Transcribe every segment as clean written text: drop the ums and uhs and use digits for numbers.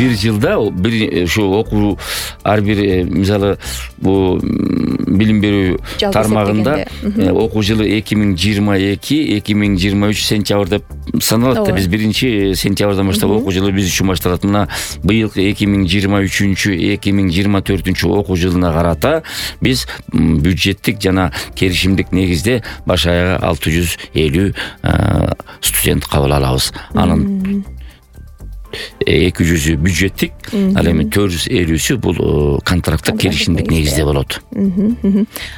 бир жылда бир ошо окуу ар бир мисалы бул билим берүү тармагында окуу жылы 2022-2023 сентябрь деп саналат да. Биз 1-сентябрдан баштап окуу жылы биз үчүн башталат. Мына быйылкы 2023-2024 окуу жылына карата биз бюджеттик жана келишимдик негизде баш аягы 650 студент кабыл алабыз. Анын 200 бюджеттик, ал эми 450сү бул контракттык келишимдик негизде болот.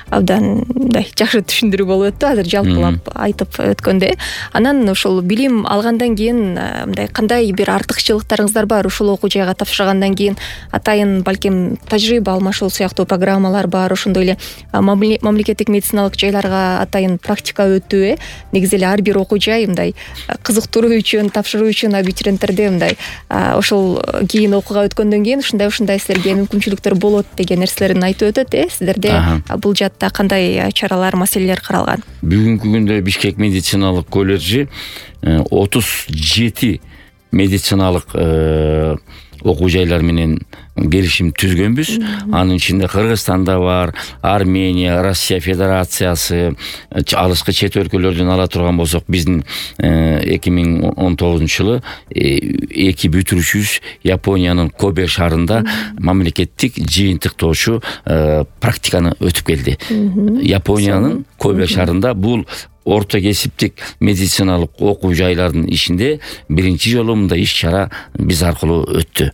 Абдан мындай жакшы түшүндүрүү болуп өттү азыр жалпылап айтып өткөндө. Анан ошол билим алгандан кийин мындай кандай бир артыкчылыктарыңыздар бар? Ушул окуу жайга тапшыргандан кийин атайын балким тажрыйба алмашуу сыяктуу программалар бар, ошондой эле мамлекеттик медициналык жайларга атайын практика өтүү. Негизи эле ар бир окуу жай мындай кызыктыруу үчүн, тапшыруу үчүн абитуриенттерде мындай ошол кийин окууга өткөндөн кийин ушундай силерге мүмкүнчүлүктөр болот деген нерселерин айтып өтөт. Сиздерде бул жаатта кандай чаралар, маселелер каралган? Бүгүнкү күндө Бишкек медициналык колледжи 37 медициналык окуу жайлар менен келишим түзгөнбүз. Анын ичинде Кыргызстанда бар, Армения, Россия Федерациясы, алыскы чет өлкөлөрдөн ала турган болсок, биздин 2019 жылы 2 бүтүрүүчүбүз Япониянын Кобе шаарында мамлекеттик жыйынтыктоочу практиканы өтүп келди. Япониянын Кобе шаарында бул орто кесиптик медициналык окуу жайлардын ичинде биринчи жолу мындай иш-чара биз аркылуу өттү.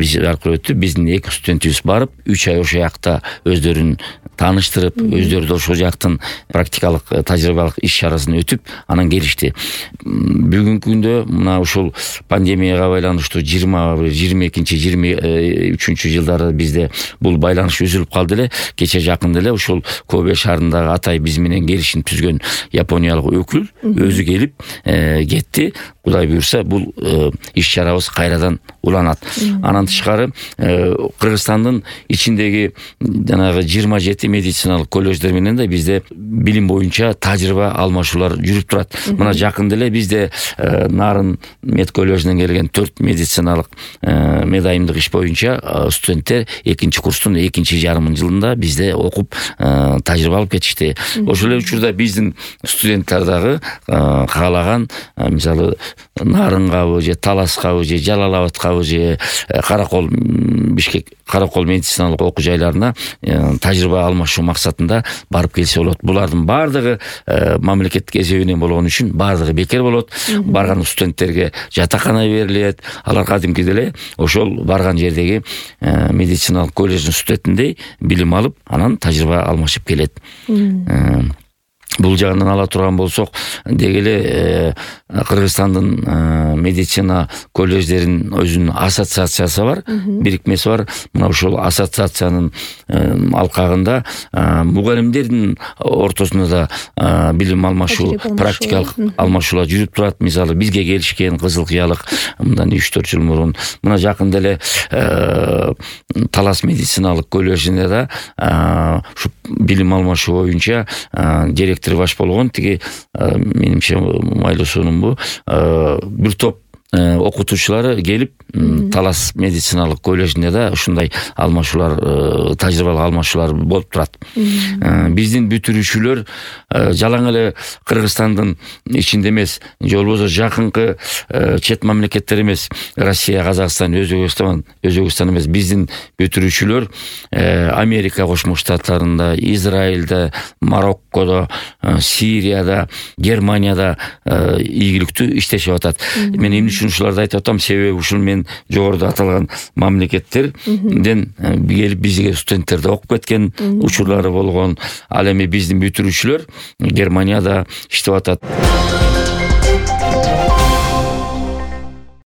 Биздин 2 студентибиз барып, 3 ай ошол жакта өздөрүн тааныштырып, өздөрү да ошол жактын практикалык тажрыйбалык иш-чарасын өтүп, анан келишти. Бүгүнкү күндө мына ушул пандемияга байланыштуу 20-22-23 жылдары бизде бул байланыш үзүлүп калды эле. Кече жакында эле ушул Кобе шаарындагы атай биз менен келишим түзгөн япониялык өкүл өзү келип кетти. Кудай буйрса бул иш-чарабыз кайрадан уланат. Анан тышкары Кыргызстандын ичиндеги жанагы 27 медициналык колледждер менен да бизде билим боюнча тажрыйба алмашуулар жүрүп турат. Мына жакында эле бизде Нарын мед колледжинен келген 4 медициналык медайымдык иш боюнча студенттер 2-курстун 2-жарым жылында бизде окуп тажрыйба алып кетишти. Ошол эле учурда биздин студенттер дагы каалаган мисалы Нарын кабы же Талас кабы же Жалал-Абад кабы же Каракол Бишкек Каракол медициналык окуу жайларына тажрыйба алмашуу максатында барып келсе болот. Булардын бардыгы мамлекеттик эсебинен болгон үчүн бардыгы бекер болот. Барган студенттерге жатакана берилет. Алар кадимкидей эле ошол барган жердеги медициналык колледждин студентиндей билим алып, анан тажрыйба алмашып келет. Бул жагынан ала турган болсок, деги эле Кыргызстандын медицина колледждеринин өзүнүн ассоциациясы бар, бирикмеси бар. Мына ошол ассоциациянын алкагында мугалимдердин ортосунда да билим алмашуу, практикалык алмашуулар жүрүп турат. Мисалы бизге келишкен Кызыл Кыялык мындан 3-4 жыл мурун, мына жакында эле Талас медициналык колледжинде да ушу билим алмашуу боюнча директор баш болгон, тиги менимче майлуусунун бу бир топ окутуучулары келип Талас медициналык колледжинде да ушундай алмашуулар, тажрыйбалык алмашуулар болуп турат. Биздин бүтүрүүчүлөр жалаң эле Кыргызстандын ичинде эмес, же болбосо жакынкы чет мамлекеттер эмес, Россия, Казакстан, Өзбекстан эмес, биздин бүтүрүүчүлөр Америка Кошмо Штаттарында, Израилде, Мароккодо, Сирияда, Германияда ийгиликтүү иштешип атат. Мен эмне үчүн ушуларды айтып атам? Себеби ушул мен жогоруда аталган мамлекеттерден келип бизге студенттерди окуп кеткен учурлары болгон. Ал эми биздин бүтүрүүчүлөр Германияда иштеп атат.